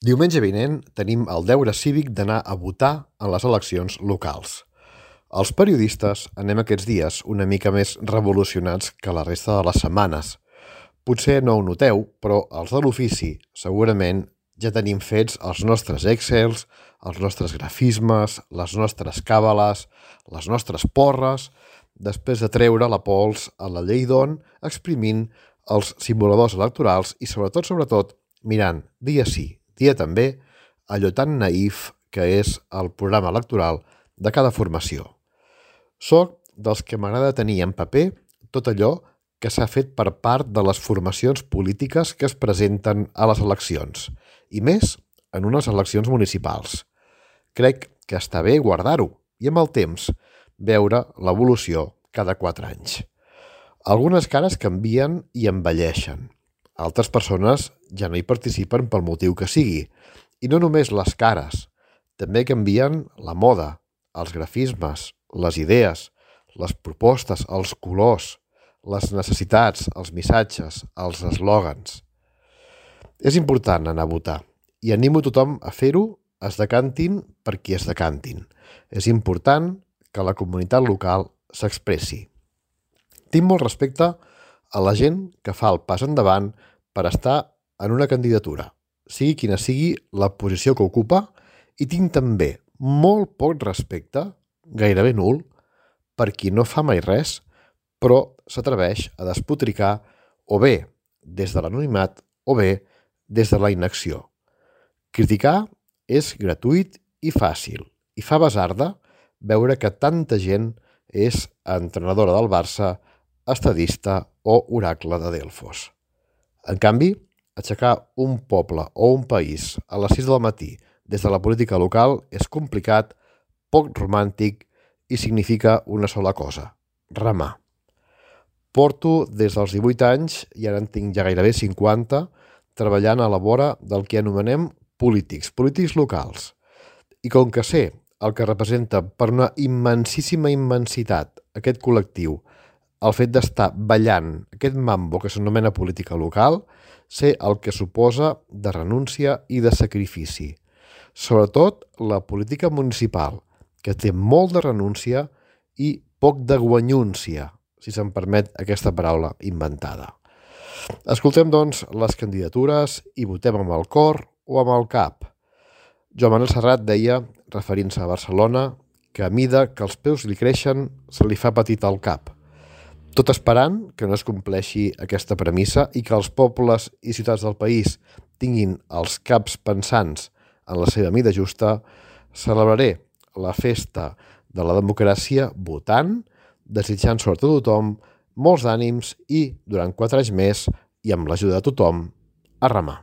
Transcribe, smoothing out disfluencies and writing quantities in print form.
Diumenge vinent tenim el deure cívic d'anar a votar en les eleccions locals. Els periodistes anem aquests dies una mica més revolucionats que la resta de les setmanes. Potser no ho noteu, però els de l'ofici segurament ja tenim fets els nostres Excels, els nostres grafismes, les nostres càbales, les nostres porres, després de treure la pols a la llei d'on, exprimint els simuladors electorals i sobretot, mirant dia sí, dia també, allò tan naïf que és el programa electoral de cada formació. Soc dels que m'agrada tenir en paper tot allò que s'ha fet per part de les formacions polítiques que es presenten a les eleccions, i més en unes eleccions municipals. Crec que està bé guardar-ho i amb el temps veure l'evolució cada 4 anys. Algunes cares canvien i envelleixen. Altres persones ja no hi participen pel motiu que sigui. I no només les cares, també canvien la moda, els grafismes, les idees, les propostes, els colors, les necessitats, els missatges, els eslògans. És important anar a votar i animo tothom a fer-ho, es decantin per qui es decantin. És important que la comunitat local s'expressi. Tinc molt respecte a la gent que fa el pas endavant per estar en una candidatura, sigui quina sigui la posició que ocupa, i tinc també molt poc respecte, gairebé nul, per qui no fa mai res, però s'atreveix a despotricar o bé des de l'anonimat o bé des de la inacció. Criticar és gratuït i fàcil, i fa basarda veure que tanta gent és entrenadora del Barça, estadista o oracle de Delfos. En canvi, aixecar un poble o un país a les 6 del matí des de la política local és complicat, poc romàntic i significa una sola cosa: remar. Porto des dels 18 anys, i ara en tinc ja gairebé 50, treballant a la vora del que anomenem polítics locals. I com que sé el que representa per una immensíssima immensitat aquest col·lectiu, el fet d'estar ballant aquest mambo que s'anomena política local, sé el que suposa de renúncia i de sacrifici. Sobretot la política municipal, que té molt de renúncia i poc de guanyúncia, si se'm permet aquesta paraula inventada. Escoltem, doncs, les candidatures i votem amb el cor o amb el cap. Joan Manuel Serrat deia, referint-se a Barcelona, que a mida que els peus li creixen se li fa petit el cap. Tot esperant que no es compleixi aquesta premissa i que els pobles i ciutats del país tinguin els caps pensants en la seva mida justa, celebraré la festa de la democràcia votant, desitjant sort a tothom, molts ànims i, durant 4 anys més, i amb l'ajuda de tothom, a remar.